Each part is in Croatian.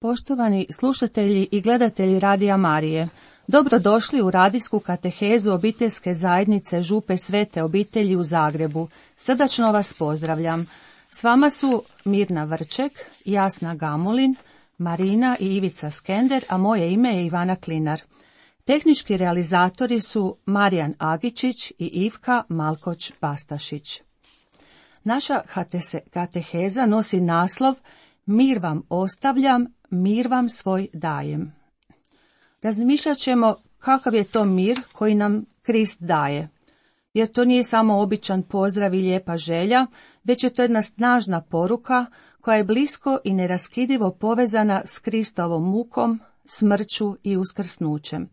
Poštovani slušatelji i gledatelji Radija Marije, dobrodošli u radijsku katehezu obiteljske zajednice Župe Svete obitelji u Zagrebu. Srdačno vas pozdravljam. S vama su Mirna Vrček, Jasna Gamulin, Marina i Ivica Skender, a moje ime je Ivana Klinar. Tehnički realizatori su Marijan Agičić i Ivka Malkoć-Bastašić. Naša kateheza nosi naslov Mir vam ostavljam, mir vam svoj dajem. Razmišljat ćemo kakav je to mir koji nam Krist daje. Jer to nije samo običan pozdrav i lijepa želja, već je to jedna snažna poruka koja je blisko i neraskidivo povezana s Kristovom mukom, smrću i uskrsnućem.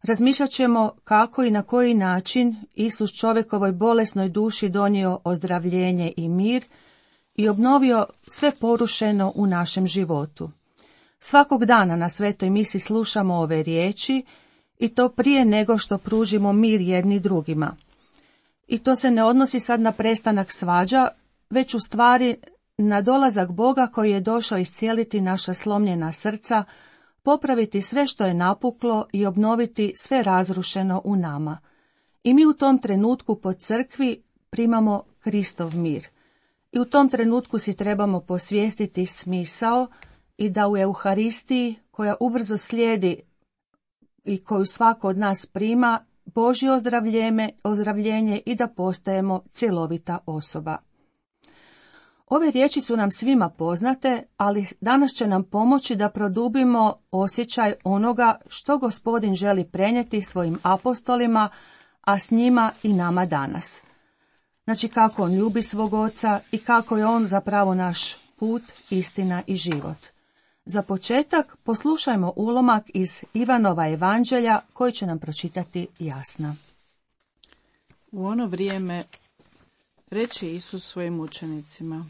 Razmišljat ćemo kako i na koji način Isus čovjekovoj bolesnoj duši donio ozdravljenje i mir i obnovio sve porušeno u našem životu. Svakog dana na svetoj misi slušamo ove riječi i to prije nego što pružimo mir jedni drugima. I to se ne odnosi sad na prestanak svađa, već u stvari na dolazak Boga koji je došao iscijeliti naša slomljena srca, popraviti sve što je napuklo i obnoviti sve razrušeno u nama. I mi u tom trenutku po crkvi primamo Kristov mir. I u tom trenutku si trebamo posvijestiti smisao i da u Euharistiji, koja ubrzo slijedi i koju svako od nas prima, Božje ozdravljenje i da postajemo cjelovita osoba. Ove riječi su nam svima poznate, ali danas će nam pomoći da produbimo osjećaj onoga što Gospodin želi prenijeti svojim apostolima, a s njima i nama danas. Znači kako on ljubi svog oca i kako je on zapravo naš put, istina i život. Za početak poslušajmo ulomak iz Ivanova evanđelja koji će nam pročitati Jasna. U ono vrijeme reče Isus svojim učenicima: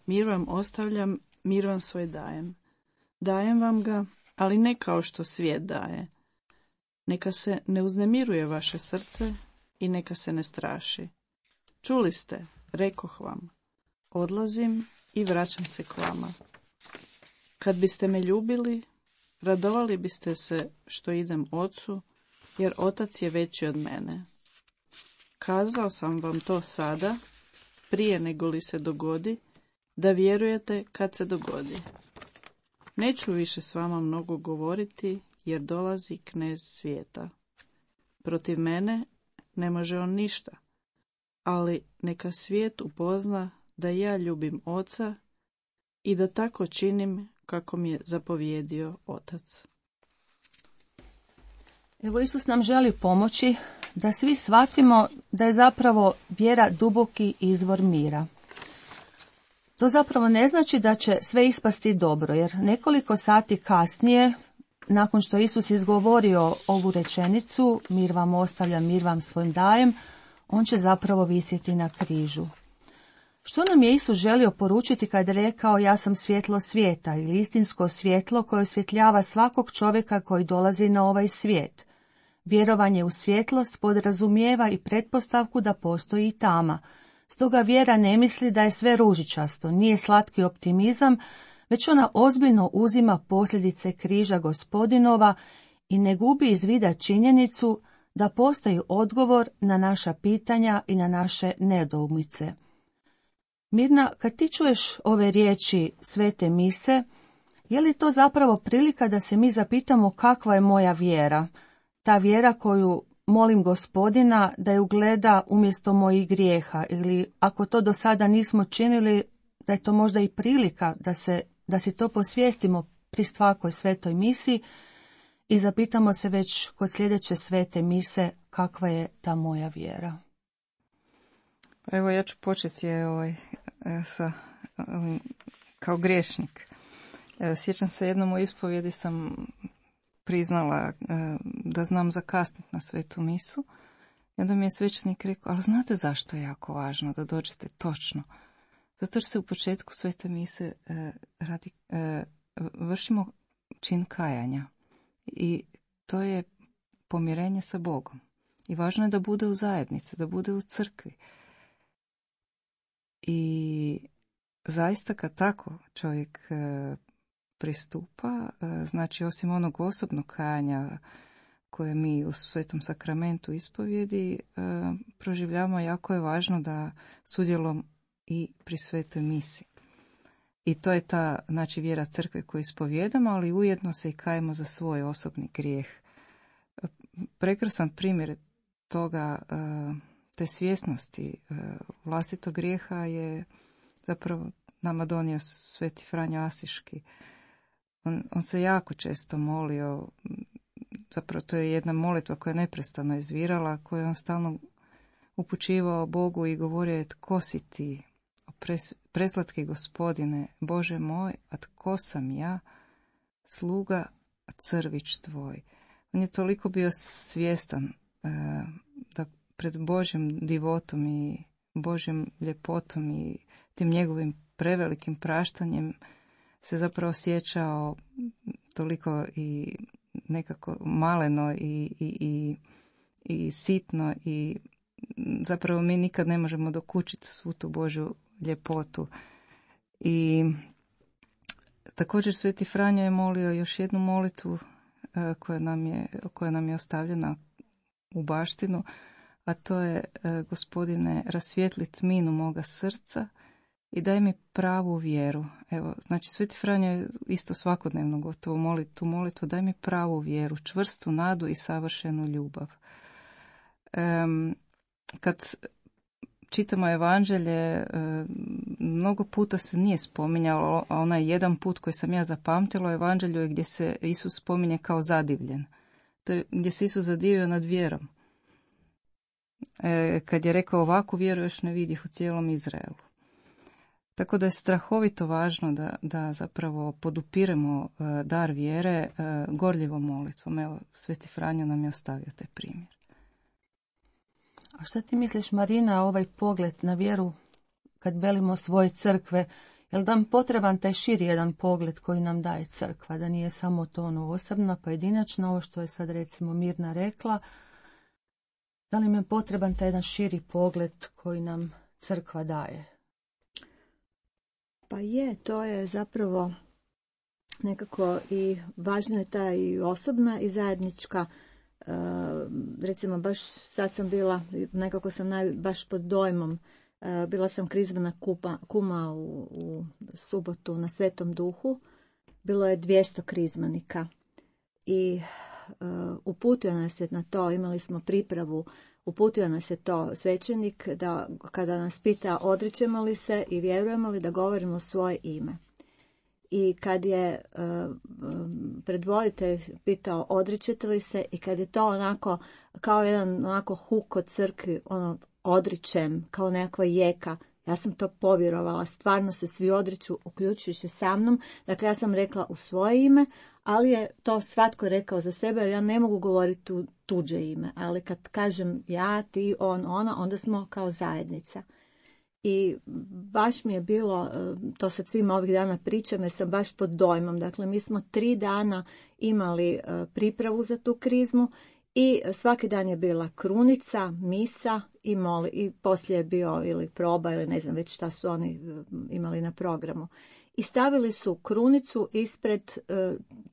Mir vam ostavljam, mir vam svoj dajem. Dajem vam ga, ali ne kao što svijet daje. Neka se ne uznemiruje vaše srce i neka se ne straši. Čuli ste, rekoh vam, odlazim i vraćam se k vama. Kad biste me ljubili, radovali biste se što idem Ocu, jer Otac je veći od mene. Kazao sam vam to sada, prije nego li se dogodi, da vjerujete kad se dogodi. Neću više s vama mnogo govoriti, jer dolazi knez svijeta. Protiv mene ne može on ništa, ali neka svijet upozna da ja ljubim Oca i da tako činim kako mi je zapovjedio Otac. Evo, Isus nam želi pomoći da svi shvatimo da je zapravo vjera duboki izvor mira. To zapravo ne znači da će sve ispasti dobro, jer nekoliko sati kasnije, nakon što Isus izgovorio ovu rečenicu, mir vam ostavljam, mir vam svojim dajem, on će zapravo visjeti na križu. Što nam je Isus želio poručiti kad je rekao ja sam svjetlo svijeta ili istinsko svjetlo koje osvjetljava svakog čovjeka koji dolazi na ovaj svijet? Vjerovanje u svjetlost podrazumijeva i pretpostavku da postoji i tama. Stoga vjera ne misli da je sve ružičasto, nije slatki optimizam, već ona ozbiljno uzima posljedice križa Gospodinova i ne gubi iz vida činjenicu da postoji odgovor na naša pitanja i na naše nedoumice. Mirna, kad ti čuješ ove riječi svete mise, je li to zapravo prilika da se mi zapitamo kakva je moja vjera? Ta vjera koju molim Gospodina da ju gleda umjesto mojih grijeha, ili ako to do sada nismo činili, da je to možda i prilika da si to posvijestimo pri svakoj svetoj misi i zapitamo se već kod sljedeće svete mise kakva je ta moja vjera. Evo ja ću početi kao griješnik. Sjećam se jednom u ispovjedi sam priznala da znam zakasniti na svetu misu. I onda mi je svećenik rekao, ali znate zašto je jako važno da dođete točno? Zato jer se u početku svete mise vršimo čin kajanja. I to je pomirenje sa Bogom. I važno je da bude u zajednici, da bude u crkvi. I zaista kad tako čovjek pristupa. Znači, osim onog osobnog kajanja koje mi u Svetom sakramentu ispovjedi proživljavamo, jako je važno da sudjelujemo i pri svetoj misi. I to je ta, znači, vjera crkve koju ispovjedamo, ali ujedno se i kajemo za svoj osobni grijeh. Prekrasan primjer toga, te svjesnosti vlastitog grijeha je zapravo nama donio Sveti Franjo Asiški. On se jako često molio, zapravo to je jedna molitva koja je neprestano izvirala, koju on stalno upućivao Bogu i govorio je: tko si ti, preslatki Gospodine, Bože moj, a tko sam ja, sluga, crvić tvoj. On je toliko bio svjestan da pred Božjim divotom i Božjim ljepotom i tim njegovim prevelikim praštanjem se zapravo osjećao toliko i nekako maleno i sitno, i zapravo mi nikad ne možemo dokučiti svu tu Božju ljepotu. I također Sveti Franjo je molio još jednu molitvu koja nam je ostavljena u baštinu, a to je: Gospodine, rasvijetli tminu moga srca i daj mi pravu vjeru. Evo, znači Sveti Franjo je isto svakodnevno gotovo moli tu molitvu: daj mi pravu vjeru, čvrstu nadu i savršenu ljubav. Kad čitamo evanđelje, mnogo puta se nije spominjalo, a onaj jedan put koji sam ja zapamtila u evanđelju je gdje se Isus spominje kao zadivljen. To je gdje se Isus zadivio nad vjerom. Kad je rekao: ovakvu vjeru još ne vidih u cijelom Izraelu. Tako da je strahovito važno da zapravo podupiremo dar vjere gorljivom molitvom. Evo, Sveti Franjo nam je ostavio taj primjer. A šta ti misliš, Marina, ovaj pogled na vjeru kad velimo svoje crkve? Je li nam potreban taj širi jedan pogled koji nam daje crkva? Da nije samo to ono osobno, pojedinačno, ovo što je sad recimo Mirna rekla. Da li nam je potreban taj jedan širi pogled koji nam crkva daje? Pa je, to je zapravo nekako i važno je ta i osobna i zajednička. Recimo baš sad sam bila, nekako sam baš pod dojmom, bila sam krizmena kuma u subotu na Svetom Duhu. Bilo je 200 krizmanika i uputio nas je na to, imali smo pripravu, uputio nas je to svećenik da kada nas pita odričemo li se i vjerujemo li, da govorimo svoje ime. I kad je predvoditelj pitao odričete li se, i kad je to onako kao jedan onako huk od crkvi, ono odričem, kao nekakva jeka, ja sam to povjerovala, stvarno se svi odriču, uključujući sa mnom. Dakle, ja sam rekla u svoje ime, ali je to svatko rekao za sebe, jer ja ne mogu govoriti tuđe ime. Ali kad kažem ja, ti, on, ona, onda smo kao zajednica. I baš mi je bilo, to sad svima ovih dana pričam jer sam baš pod dojmom. Dakle, mi smo 3 dana imali pripravu za tu krizmu i svaki dan je bila krunica, misa i poslije je bio ili proba ili ne znam već šta su oni imali na programu. I stavili su krunicu ispred,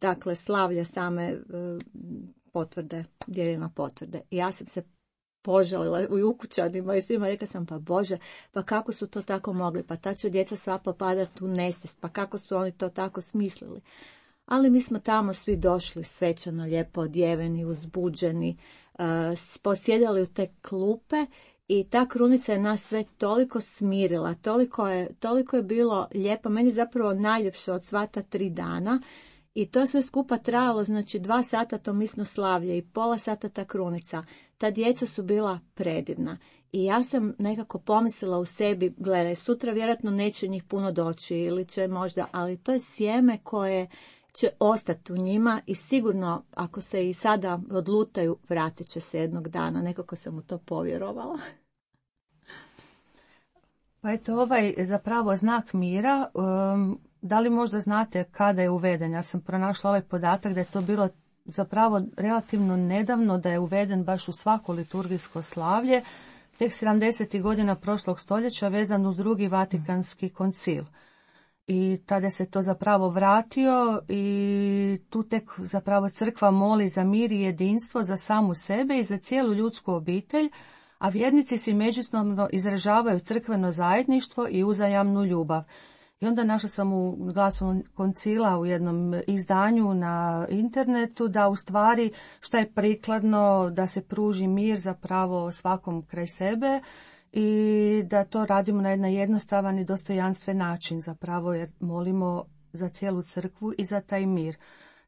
dakle, slavlja same potvrde, dijeljena potvrde. I ja sam se požalila i ukućanima i svima, rekla sam, pa Bože, pa kako su to tako mogli, pa ta će djeca sva popadati u nesvijest, pa kako su oni to tako smislili. Ali mi smo tamo svi došli svečano, lijepo odjeveni, uzbuđeni, posjedali u te klupe i ta krunica je nas sve toliko smirila, toliko je bilo lijepo, meni zapravo najljepše od sva ta 3 dana. I to sve skupa trajalo, znači 2 sata to misno slavlje i pola sata ta krunica. Ta djeca su bila predivna. I ja sam nekako pomislila u sebi, gledaj, sutra vjerojatno neće njih puno doći ili će možda, ali to je sjeme koje će ostati u njima i sigurno ako se i sada odlutaju, vratit će se jednog dana. Nekako sam u to povjerovala. Pa eto, ovaj zapravo znak mira, da li možda znate kada je uveden? Ja sam pronašla ovaj podatak da je to bilo zapravo relativno nedavno, da je uveden baš u svako liturgijsko slavlje, tek 70. godina prošlog stoljeća vezan uz 2. Vatikanski koncil. I tada se to zapravo vratio i tu tek zapravo crkva moli za mir i jedinstvo za samu sebe i za cijelu ljudsku obitelj, a vjernici si međusobno izražavaju crkveno zajedništvo i uzajamnu ljubav. I onda našla sam u Glasu koncila u jednom izdanju na internetu da u stvari šta je prikladno da se pruži mir zapravo svakom kraj sebe i da to radimo na jedan jednostavan i dostojanstven način zapravo jer molimo za cijelu crkvu i za taj mir.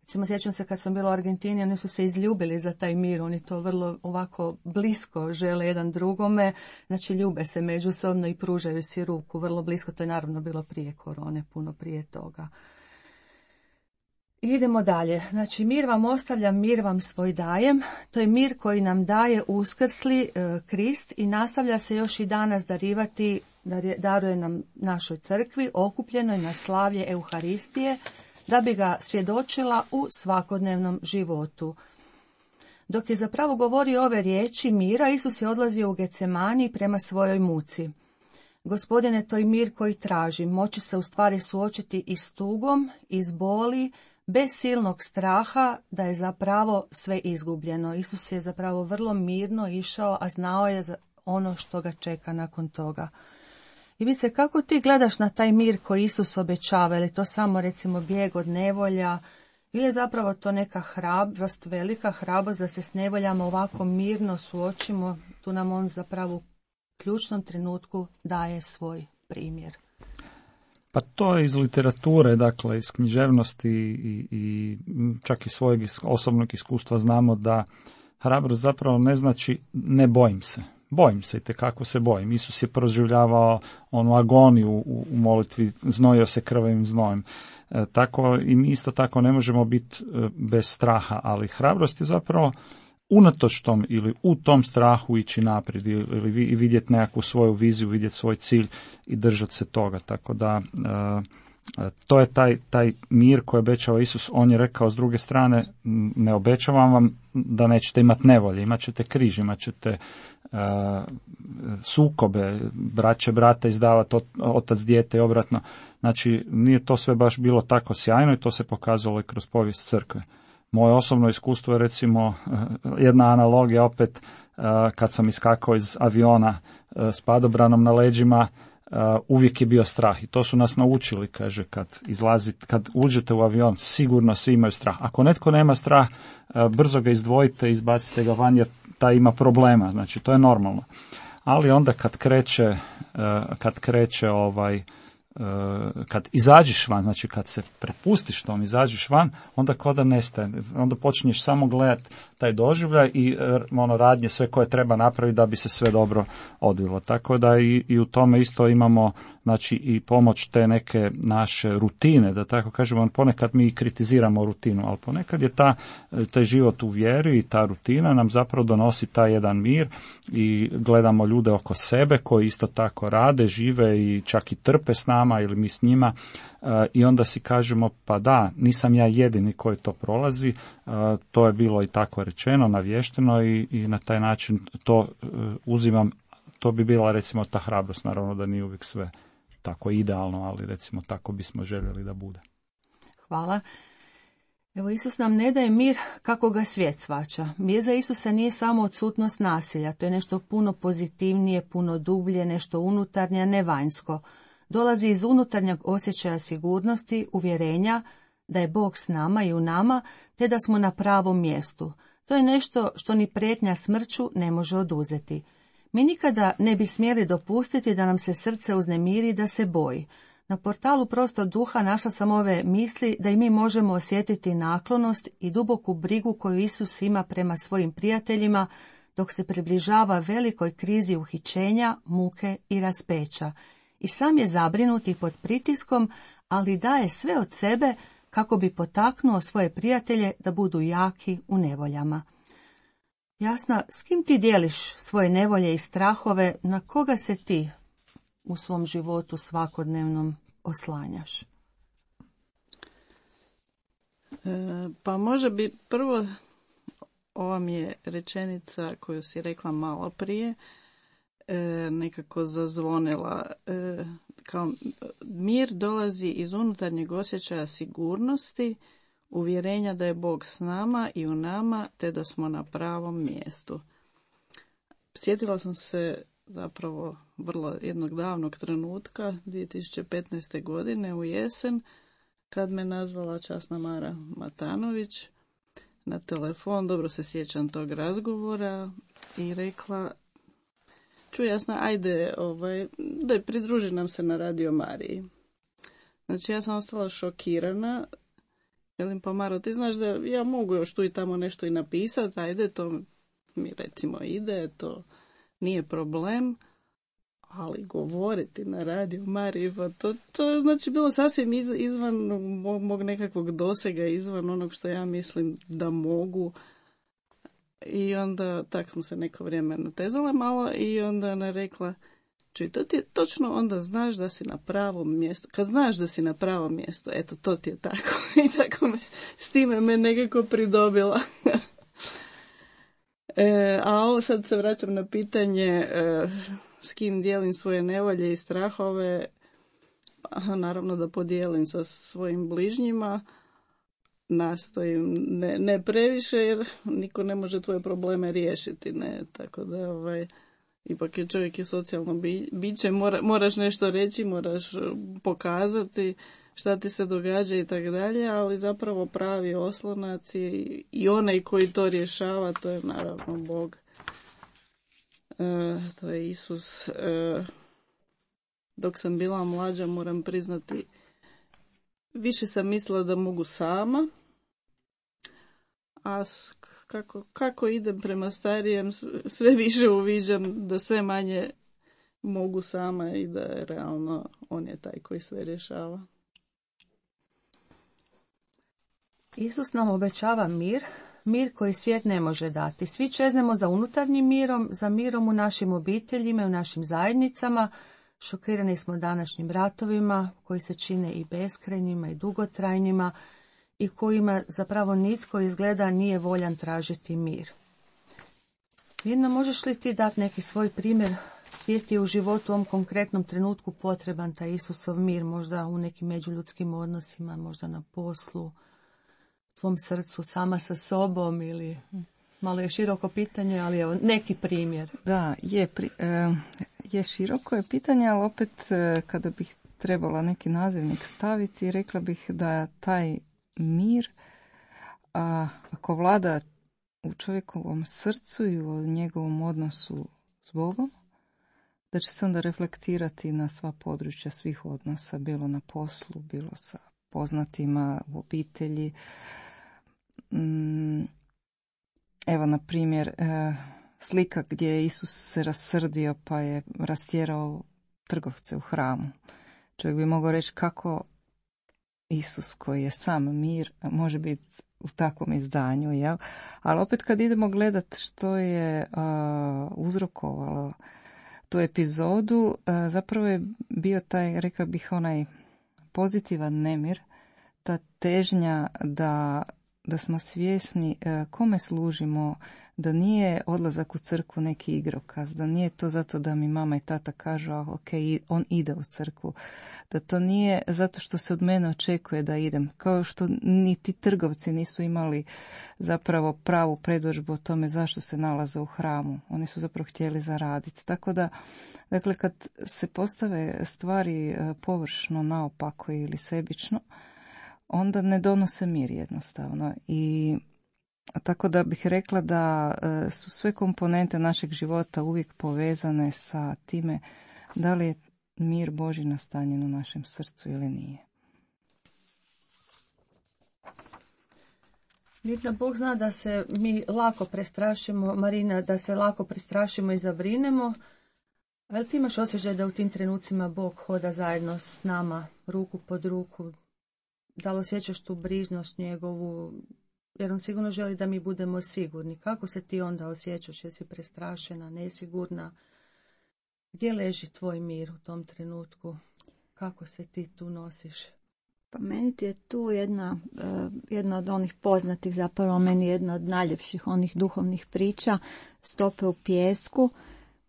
Recimo, sjećam se kad sam bila u Argentini, oni su se izljubili za taj mir, oni to vrlo ovako blisko žele jedan drugome, znači ljube se međusobno i pružaju si ruku vrlo blisko, to je naravno bilo prije korone, puno prije toga. Idemo dalje, znači mir vam ostavljam, mir vam svoj dajem, to je mir koji nam daje uskrsli Krist i nastavlja se još i danas darivati, daruje nam našoj crkvi, okupljenoj na slavlje Euharistije, da bi ga svjedočila u svakodnevnom životu. Dok je zapravo govorio ove riječi mira, Isus je odlazio u Getsemani prema svojoj muci. Gospodine, to je mir koji tražim, moći se u stvari suočiti i s tugom, i s boli, bez silnog straha da je zapravo sve izgubljeno. Isus je zapravo vrlo mirno išao, a znao je za ono što ga čeka nakon toga. I vidite, kako ti gledaš na taj mir koji Isus obećava, ili to samo recimo bijeg od nevolja, ili je zapravo to neka hrabrost, velika hrabrost da se s nevoljama ovako mirno suočimo, tu nam on zapravo u ključnom trenutku daje svoj primjer. Pa to je iz literature, dakle iz književnosti i čak i svojeg osobnog iskustva znamo da hrabrost zapravo ne znači ne bojim se. Bojim se, itekako se bojim. Isus je proživljavao onu agoniju u molitvi, znojio se krvavim znojem. Tako i mi isto tako ne možemo biti bez straha, ali hrabrost je zapravo unatoč tom ili u tom strahu ići naprijed ili vidjeti nekakvu svoju viziju, vidjeti svoj cilj i držati se toga. Tako da to je taj mir koji obećava Isus. On je rekao s druge strane, ne obećavam vam da nećete imati nevolje, imat ćete križ, imat ćete sukobe, braće brata izdavati, otac dijete i obratno. Znači, nije to sve baš bilo tako sjajno i to se pokazalo i kroz povijest crkve. Moje osobno iskustvo je recimo jedna analogija opet kad sam iskakao iz aviona s padobranom na leđima, uvijek je bio strah i to su nas naučili, kaže, kad uđete u avion sigurno svi imaju strah. Ako netko nema strah, brzo ga izdvojite, izbacite ga van jer taj ima problema, znači to je normalno. Ali onda kad izađeš van, znači kad se prepustiš tom, izađeš van, onda kao da nestaje, onda počinješ samo gledati taj doživljaj i radnje sve koje treba napraviti da bi se sve dobro odvilo. Tako da i u tome isto imamo, znači, i pomoć te neke naše rutine, da tako kažemo. Ponekad mi kritiziramo rutinu, ali ponekad je taj život u vjeri i ta rutina nam zapravo donosi taj jedan mir i gledamo ljude oko sebe koji isto tako rade, žive i čak i trpe s nama ili mi s njima. I onda si kažemo, pa da, nisam ja jedini koji to prolazi, to je bilo i tako rečeno, navješteno i na taj način to uzimam, to bi bila recimo ta hrabrost, naravno da nije uvijek sve tako idealno, ali recimo tako bismo željeli da bude. Hvala. Evo, Isus nam ne daje mir kako ga svijet shvaća. Mir za Isusa nije samo odsutnost nasilja, to je nešto puno pozitivnije, puno dublje, nešto unutarnje, a ne vanjsko. Dolazi iz unutarnjeg osjećaja sigurnosti, uvjerenja da je Bog s nama i u nama, te da smo na pravom mjestu. To je nešto što ni prijetnja smrću ne može oduzeti. Mi nikada ne bi smjeli dopustiti da nam se srce uznemiri, da se boji. Na portalu Prostor duha našla sam ove misli da i mi možemo osjetiti naklonost i duboku brigu koju Isus ima prema svojim prijateljima dok se približava velikoj krizi uhićenja, muke i raspeća. I sam je zabrinut i pod pritiskom, ali daje sve od sebe kako bi potaknuo svoje prijatelje da budu jaki u nevoljama. Jasna, s kim ti dijeliš svoje nevolje i strahove, na koga se ti u svom životu svakodnevnom oslanjaš? Pa može bi prvo, ova mi je rečenica koju si rekla malo prije, nekako zazvonila kao mir dolazi iz unutarnjeg osjećaja sigurnosti, uvjerenja da je Bog s nama i u nama, te da smo na pravom mjestu. Sjetila sam se zapravo vrlo jednog davnog trenutka, 2015. godine u jesen, kad me nazvala časna Mara Matanović na telefon, dobro se sjećam tog razgovora, i rekla: čuj Jasna, ajde, da pridruži nam se na Radio Mariji. Znači ja sam ostala šokirana. Velim, pa Maro, ti znaš da ja mogu još tu i tamo nešto i napisati, ajde, to mi recimo ide, to nije problem, ali govoriti na Radio Mariji, pa to znači bilo sasvim izvan mog nekakvog dosega, izvan onog što ja mislim da mogu. I onda tak smo se neko vrijeme natezala malo i onda ona rekla: čuj, to ti je točno, onda znaš da si na pravom mjestu. Kad znaš da si na pravom mjestu, eto, to ti je tako. I tako s time me nekako pridobila. A ovo sad se vraćam na pitanje s kim dijelim svoje nevolje i strahove. Naravno da podijelim sa svojim bližnjima. Nastojim ne previše, jer niko ne može tvoje probleme riješiti, ne, tako da ipak je čovjek socijalno biće, moraš nešto reći, moraš pokazati šta ti se događa i tako dalje, ali zapravo pravi oslonac i onaj koji to rješava, to je naravno Bog, to je Isus. Dok sam bila mlađa, moram priznati, više sam mislila da mogu sama, a kako idem prema starijem, sve više uviđam da sve manje mogu sama i da je realno on je taj koji sve rješava. Isus nam obećava mir koji svijet ne može dati. Svi čeznemo za unutarnjim mirom, za mirom u našim obiteljima i u našim zajednicama. Šokirani smo današnjim ratovima koji se čine i beskrajnima i dugotrajnima i kojima zapravo nitko izgleda nije voljan tražiti mir. Mirna, možeš li ti dati neki svoj primjer gdje ti je u životu u ovom konkretnom trenutku potreban taj Isusov mir, možda u nekim međuljudskim odnosima, možda na poslu, tvom srcu, sama sa sobom, ili malo je široko pitanje, ali evo neki primjer. Da, je široko je pitanje, ali opet kada bih trebala neki nazivnik staviti, rekla bih da taj mir, ako vlada u čovjekovom srcu i u njegovom odnosu s Bogom, da će se onda reflektirati na sva područja svih odnosa, bilo na poslu, bilo sa poznatima, u obitelji. Evo, na primjer, slika gdje je Isus se rasrdio pa je rastjerao trgovce u hramu. Čovjek bi mogao reći kako Isus koji je sam mir može biti u takvom izdanju, jel? Ali opet kad idemo gledati što je uzrokovalo tu epizodu, zapravo je bio taj, rekla bih, onaj pozitivan nemir, ta težnja da smo svjesni kome služimo, da nije odlazak u crkvu neki igrokaz, da nije to zato da mi mama i tata kažu ok, on ide u crkvu, da to nije zato što se od mene očekuje da idem, kao što niti trgovci nisu imali zapravo pravu predodžbu o tome zašto se nalaze u hramu, oni su zapravo htjeli zaraditi. Tako da, dakle, kad se postave stvari površno, naopako ili sebično, onda ne donose mir jednostavno. I tako da bih rekla da su sve komponente našeg života uvijek povezane sa time da li je mir Božji nastanjen u našem srcu ili nije. Mirna, Bog zna da se mi lako prestrašimo, Marina, da se lako prestrašimo i zabrinemo, ali ti imaš osjećaj da u tim trenucima Bog hoda zajedno s nama, ruku pod ruku. Da li osjećaš tu brižnost njegovu, jer on sigurno želi da mi budemo sigurni. Kako se ti onda osjećaš? Jesi prestrašena, nesigurna? Gdje leži tvoj mir u tom trenutku? Kako se ti tu nosiš? Pa meni ti je tu jedna od onih poznatih, zapravo meni jedna od najljepših onih duhovnih priča, Stope u pijesku,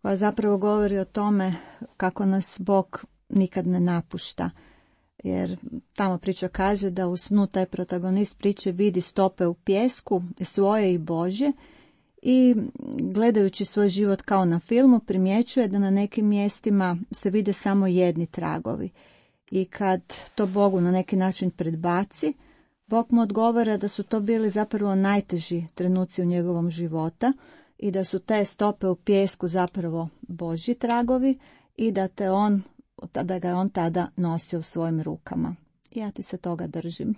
koja zapravo govori o tome kako nas Bog nikad ne napušta. Jer tamo priča kaže da u snu taj protagonist priče vidi stope u pijesku, svoje i Božje, i gledajući svoj život kao na filmu primjećuje da na nekim mjestima se vide samo jedni tragovi. I kad to Bogu na neki način predbaci, Bog mu odgovara da su to bili zapravo najteži trenuci u njegovom života i da su te stope u pijesku zapravo Božji tragovi i da ga je on tada nosio u svojim rukama. Ja ti se toga držim.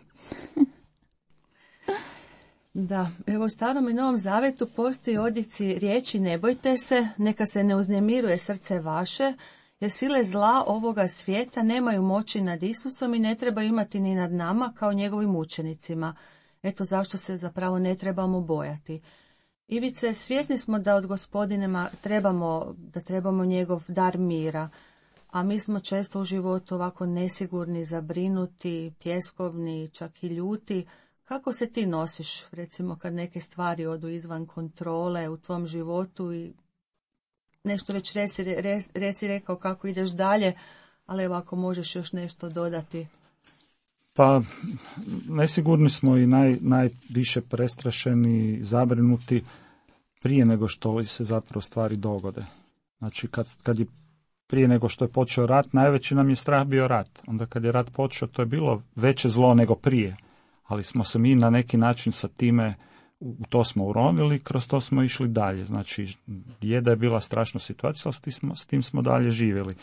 Da, evo u Starom i Novom Zavetu postoji odjeci riječi ne bojte se, neka se ne uznemiruje srce vaše, jer sile zla ovoga svijeta nemaju moći nad Isusom i ne treba imati ni nad nama kao njegovim učenicima. Eto zašto se zapravo ne trebamo bojati. Ivice, svjesni smo da od Gospodinema trebamo njegov dar mira, a mi smo često u životu ovako nesigurni, zabrinuti, tjeskovni, čak i ljuti. Kako se ti nosiš, recimo, kad neke stvari odu izvan kontrole u tvom životu i nešto već resi rekao kako ideš dalje, ali evo ako možeš još nešto dodati. Pa, nesigurni smo i najviše prestrašeni, zabrinuti prije nego što se zapravo stvari dogode. Znači, kad je prije nego što je počeo rat, najveći nam je strah bio rat. Onda kad je rat počeo, to je bilo veće zlo nego prije. Ali smo se mi na neki način sa time, u to smo uronili, kroz to smo išli dalje. Znači, da je bila strašna situacija, ali s tim smo dalje živjeli.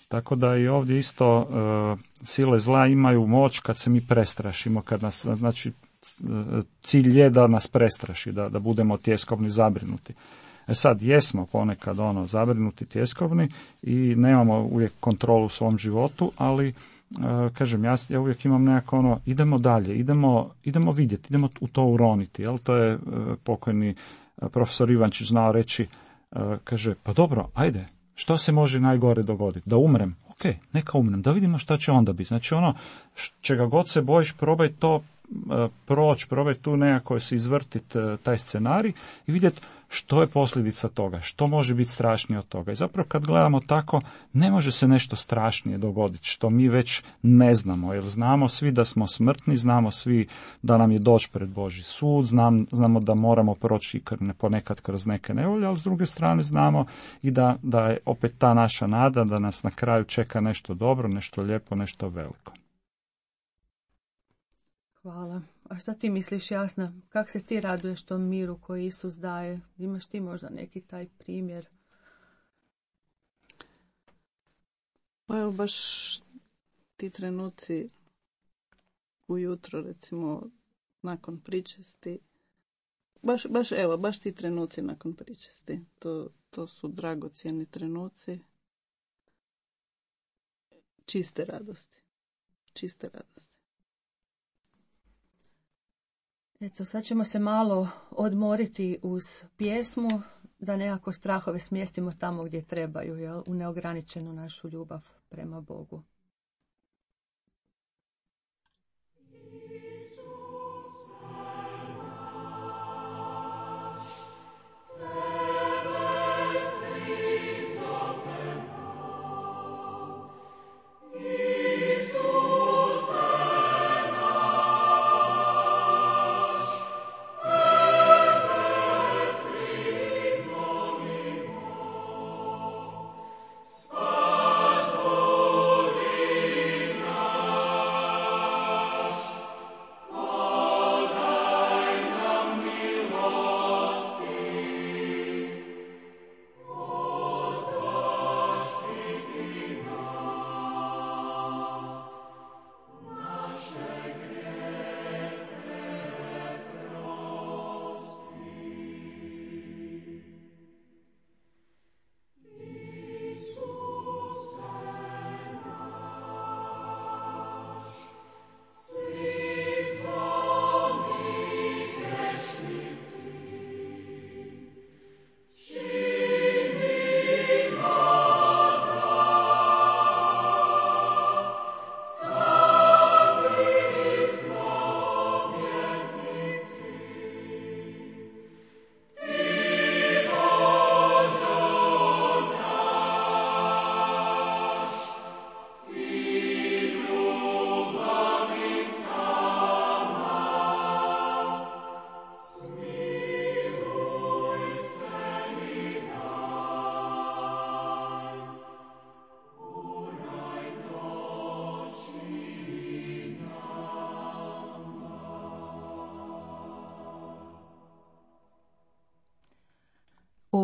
Tako da i ovdje isto sile zla imaju moć kad se mi prestrašimo, kad nas, znači, cilj je da nas prestraši, da budemo tjeskovni, zabrinuti. Sad, jesmo ponekad zabrinuti, tjeskovni i nemamo uvijek kontrolu u svom životu, ali kažem, ja uvijek imam nekako idemo dalje, idemo vidjeti, idemo u to uroniti. Jel? To je pokojni profesor Ivančić znao reći, kaže, pa dobro, ajde, što se može najgore dogoditi? Da umrem? Ok, neka umrem, da vidimo šta će onda biti. Znači čega god se bojiš, probaj to proći, probaj tu nekako se izvrtiti taj scenarij i vidjeti što je posljedica toga, što može biti strašnije od toga. I zapravo kad gledamo tako, ne može se nešto strašnije dogoditi, što mi već ne znamo, jer znamo svi da smo smrtni, znamo svi da nam je doći pred Božji sud, znamo da moramo proći ponekad kroz neke nevolje, ali s druge strane znamo i da je opet ta naša nada, da nas na kraju čeka nešto dobro, nešto lijepo, nešto veliko. Hvala. A šta ti misliš, Jasna? Kako se ti raduješ tom miru koji Isus daje? Imaš ti možda neki taj primjer? Pa evo baš ti trenuci ujutro, recimo nakon pričesti. Baš ti trenuci nakon pričesti. To su dragocjeni trenuci. Čiste radosti. Eto, sad ćemo se malo odmoriti uz pjesmu, da nekako strahove smjestimo tamo gdje trebaju, jel? U neograničenu našu ljubav prema Bogu. Spas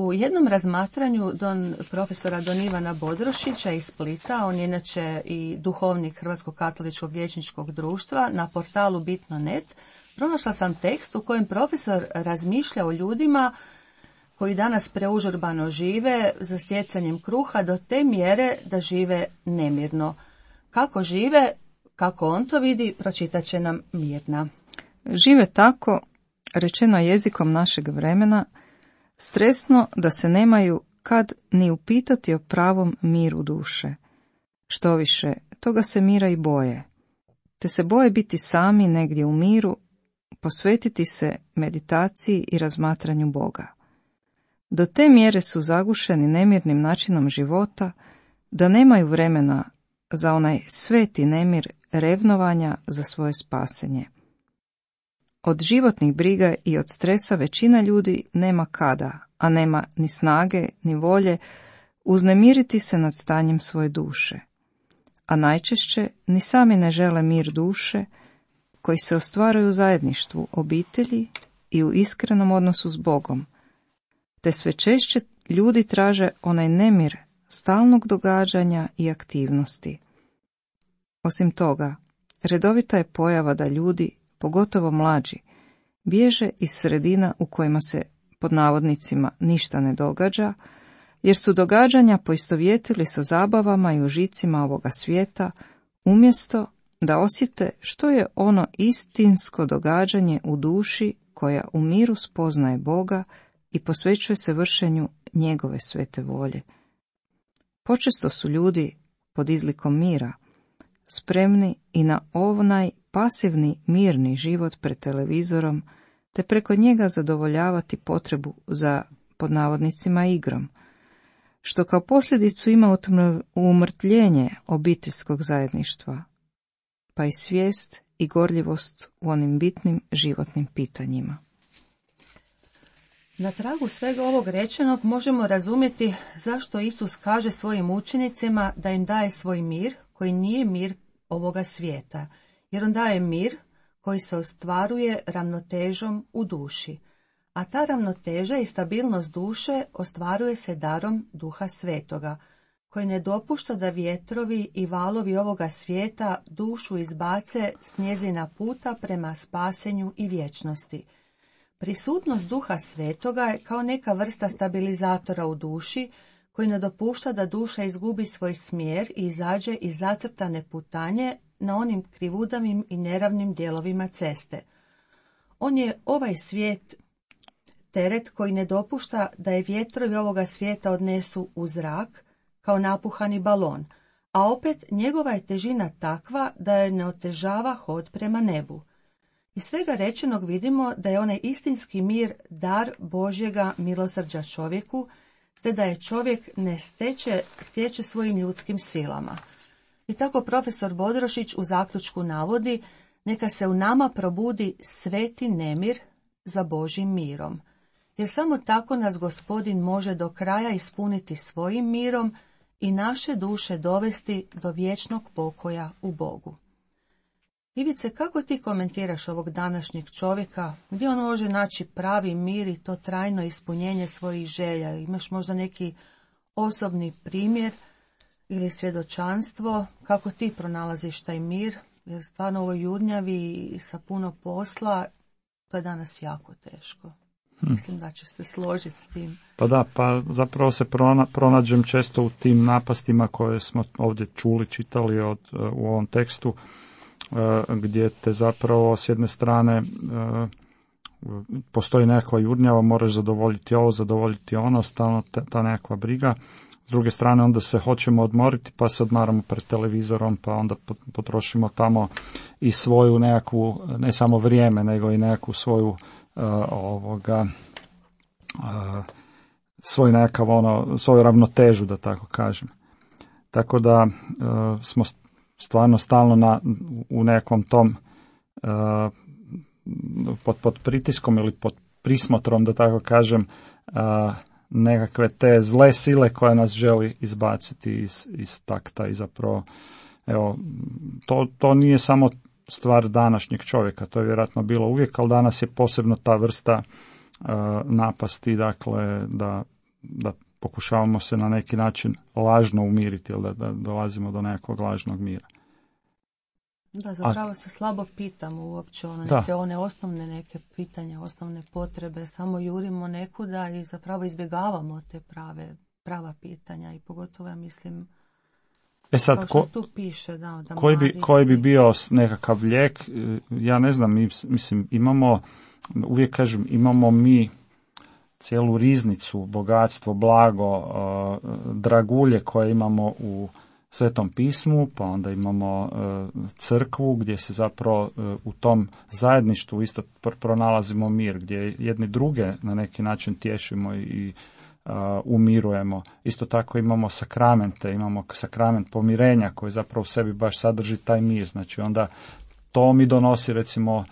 U jednom razmatranju profesora Don Ivana Bodrošića iz Splita, on je inače i duhovnik Hrvatskog katoličkog liječničkog društva, na portalu Bitno.net, pronašla sam tekst u kojem profesor razmišlja o ljudima koji danas preužurbano žive za stjecanjem kruha do te mjere da žive nemirno. Kako žive, kako on to vidi, pročitat će nam Mirna. Žive tako, rečeno jezikom našeg vremena, stresno da se nemaju kad ni upitati o pravom miru duše. Štoviše, toga se mira i boje, te se boje biti sami negdje u miru, posvetiti se meditaciji i razmatranju Boga. Do te mjere su zagušeni nemirnim načinom života, da nemaju vremena za onaj sveti nemir revnovanja za svoje spasenje. Od životnih briga i od stresa većina ljudi nema kada, a nema ni snage, ni volje uznemiriti se nad stanjem svoje duše. A najčešće ni sami ne žele mir duše, koji se ostvaruje u zajedništvu obitelji i u iskrenom odnosu s Bogom, te sve češće ljudi traže onaj nemir stalnog događanja i aktivnosti. Osim toga, redovita je pojava da ljudi, pogotovo mlađi, bježe iz sredina u kojima se, pod navodnicima, ništa ne događa, jer su događanja poistovjetili sa zabavama i užicima ovoga svijeta, umjesto da osjete što je ono istinsko događanje u duši koja u miru spoznaje Boga i posvećuje se vršenju njegove svete volje. Počesto su ljudi, pod izlikom mira, spremni i na onaj pasivni mirni život pred televizorom, te preko njega zadovoljavati potrebu za, pod navodnicima, igrom, što kao posljedicu ima umrtvljenje obiteljskog zajedništva, pa i svijest i gorljivost u onim bitnim životnim pitanjima. Na tragu svega ovog rečenog možemo razumjeti zašto Isus kaže svojim učenicima da im daje svoj mir, koji nije mir ovoga svijeta, jer on daje mir koji se ostvaruje ravnotežom u duši, a ta ravnoteža i stabilnost duše ostvaruje se darom Duha Svetoga, koji ne dopušta da vjetrovi i valovi ovoga svijeta dušu izbace s njezina puta prema spasenju i vječnosti. Prisutnost Duha Svetoga je kao neka vrsta stabilizatora u duši, koji ne dopušta da duša izgubi svoj smjer i izađe iz zacrtane putanje na onim krivudavim i neravnim dijelovima ceste. On je ovaj svijet teret koji ne dopušta da je vjetrovi ovoga svijeta odnesu u zrak, kao napuhani balon, a opet njegova je težina takva da je ne otežava hod prema nebu. Iz svega rečenog vidimo da je onaj istinski mir dar Božjega milosrđa čovjeku, te da je čovjek ne stječe svojim ljudskim silama. I tako profesor Bodrošić u zaključku navodi: neka se u nama probudi sveti nemir za Božjim mirom, jer samo tako nas Gospodin može do kraja ispuniti svojim mirom i naše duše dovesti do vječnog pokoja u Bogu. Ivice, kako ti komentiraš ovog današnjeg čovjeka, gdje on može naći pravi mir i to trajno ispunjenje svojih želja? Imaš možda neki osobni primjer ili svjedočanstvo, kako ti pronalaziš taj mir, jer stvarno ovo jurnjavi i sa puno posla, to je danas jako teško. Mislim da ćeš se složiti s tim. Pa da, pa zapravo se pronađem često u tim napastima koje smo ovdje čuli, čitali u ovom tekstu, gdje te zapravo s jedne strane postoji nekakva jurnjava, moraš zadovoljiti ovo, zadovoljiti ono, stalno ta nekakva briga. S druge strane onda se hoćemo odmoriti pa se odmaramo pred televizorom, pa onda potrošimo tamo i svoju nekakvu, ne samo vrijeme, nego i nekakvu svoju svoj nekakav svoju ravnotežu, da tako kažem. Tako da smo stvarno stalno u nekakvom tom pod pritiskom ili pod prismotrom, da tako kažem, nekakve te zle sile koja nas želi izbaciti iz takta i zapravo, evo, to nije samo stvar današnjeg čovjeka, to je vjerojatno bilo uvijek, ali danas je posebno ta vrsta napasti, dakle, da da pokušavamo se na neki način lažno umiriti ili da dolazimo do nekakvog lažnog mira. Da, zapravo se slabo pitamo uopće neke one osnovne neke pitanja, osnovne potrebe, samo jurimo nekuda i zapravo izbjegavamo te prava pitanja i pogotovo ja mislim sad, kao što tu piše, da koji bi bio nekakav lijek, ja ne znam, mislim imamo, uvijek kažem, imamo mi cijelu riznicu, bogatstvo, blago, dragulje koje imamo u Svetom pismu, pa onda imamo crkvu gdje se zapravo u tom zajedništvu isto pronalazimo mir, gdje jedni druge na neki način tješimo i umirujemo. Isto tako imamo sakramente, imamo sakrament pomirenja koji zapravo u sebi baš sadrži taj mir, znači onda to mi donosi recimo,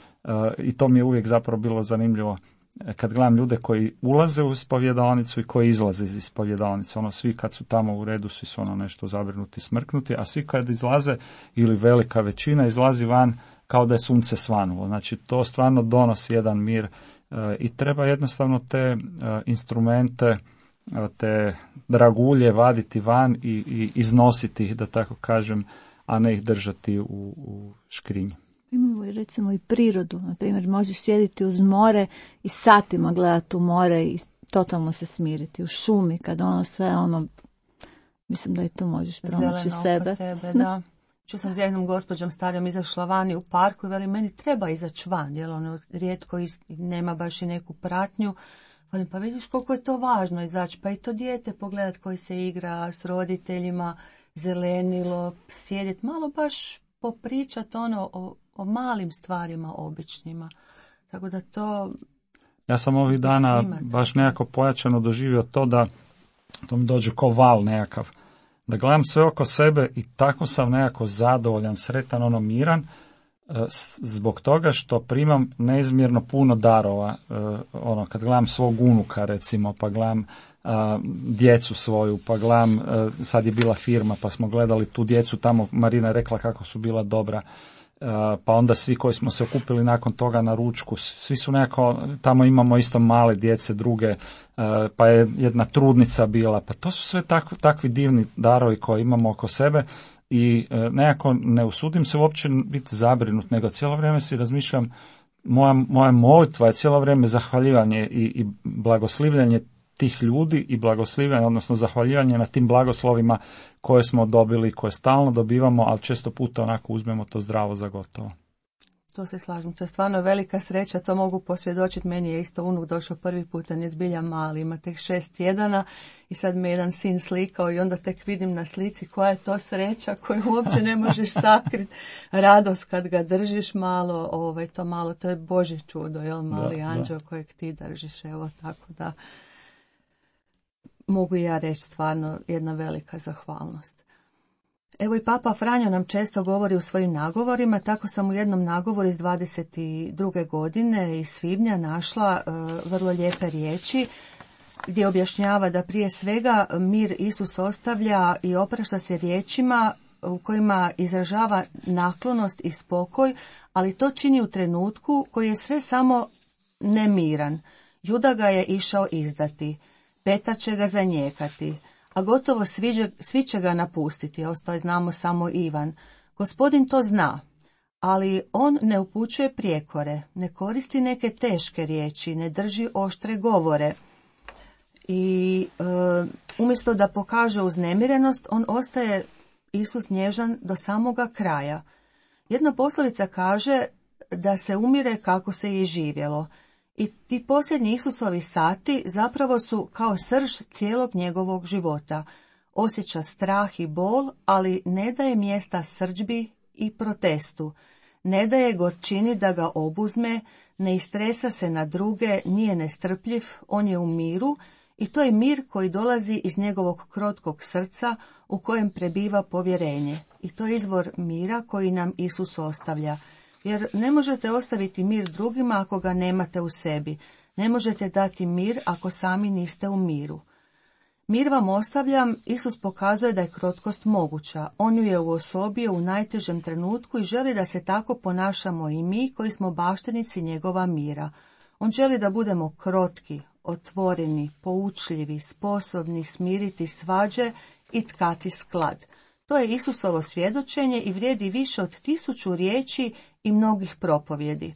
i to mi je uvijek zapravo bilo zanimljivo, kad gledam ljude koji ulaze u ispovjedalnicu i koji izlaze iz ispovjedalnice, svi kad su tamo u redu, svi su nešto zabrinuti, smrknuti, a svi kad izlaze, ili velika većina izlazi van kao da je sunce svanulo. Znači to stvarno donosi jedan mir i treba jednostavno te instrumente, te dragulje vaditi van i iznositi ih, da tako kažem, a ne ih držati u škrinji. Imamo i recimo i prirodu, na primjer možeš sjediti uz more i satima gledati u more i totalno se smiriti. U šumi kad sve mislim da i to možeš pronaći sebe. Tebe, da. Ču sam s jednom gospođom starijom izašla vani u parku i veli meni treba izaći van, jer rijetko nema baš i neku pratnju. Pa vidiš koliko je to važno izaći, pa i to dijete pogledat koji se igra s roditeljima, zelenilo, sjediti, malo baš popričati o malim stvarima običnima. Tako da to... Ja sam ovih dana baš nekako pojačano doživio to da to mi dođe ko val nekakav. Da gledam sve oko sebe i tako sam nekako zadovoljan, sretan, miran, zbog toga što primam neizmjerno puno darova. Kad gledam svog unuka recimo, pa gledam djecu svoju, pa gledam, sad je bila firma, pa smo gledali tu djecu tamo, Marina je rekla kako su bila dobra. Pa onda svi koji smo se okupili nakon toga na ručku, svi su nekako, tamo imamo isto male djece, druge, pa je jedna trudnica bila, pa to su sve takvi divni darovi koje imamo oko sebe i nekako ne usudim se uopće biti zabrinut, nego cijelo vrijeme si razmišljam, moja molitva je cijelo vrijeme zahvaljivanje i blagoslivljanje tih ljudi i blagoslivljanje, odnosno zahvaljivanje na tim blagoslovima koje smo dobili, koje stalno dobivamo, ali često puta onako uzmemo to zdravo za gotovo. To se slažem, to je stvarno velika sreća, to mogu posvjedočiti, meni je isto unuk došao prvi put, on je zbilja mali, ima tek 6 tjedana i sad me jedan sin slikao i onda tek vidim na slici koja je to sreća koju uopće ne možeš sakriti, radost kad ga držiš malo, to je Božje čudo, jel, mali anđeo kojeg ti držiš, evo tako da mogu ja reći stvarno jedna velika zahvalnost. Evo i Papa Franjo nam često govori u svojim nagovorima, tako sam u jednom nagovoru iz 22. godine iz svibnja našla vrlo lijepe riječi gdje objašnjava da prije svega mir Isus ostavlja i oprašta se riječima u kojima izražava naklonost i spokoj, ali to čini u trenutku koji je sve samo nemiran. Juda ga je išao izdati, Petar će ga zanijekati, a gotovo svi će ga napustiti, ostao je znamo samo Ivan. Gospodin to zna, ali on ne upućuje prijekore, ne koristi neke teške riječi, ne drži oštre govore. I umjesto da pokaže uznemirenost, on ostaje Isus nježan do samoga kraja. Jedna poslovica kaže da se umire kako se je živjelo. I ti posljednji Isusovi sati zapravo su kao srž cijelog njegovog života. Osjeća strah i bol, ali ne daje mjesta srdžbi i protestu. Ne daje gorčini da ga obuzme, ne istresa se na druge, nije nestrpljiv, on je u miru i to je mir koji dolazi iz njegovog krotkog srca u kojem prebiva povjerenje. I to je izvor mira koji nam Isus ostavlja. Jer ne možete ostaviti mir drugima ako ga nemate u sebi. Ne možete dati mir ako sami niste u miru. Mir vam ostavljam, Isus pokazuje da je krotkost moguća. On ju je uosobio u najtežem trenutku i želi da se tako ponašamo i mi koji smo baštinici njegova mira. On želi da budemo krotki, otvoreni, poučljivi, sposobni smiriti svađe i tkati sklad. To je Isusovo svjedočenje i vrijedi više od 1000 riječi i mnogih propovjedi.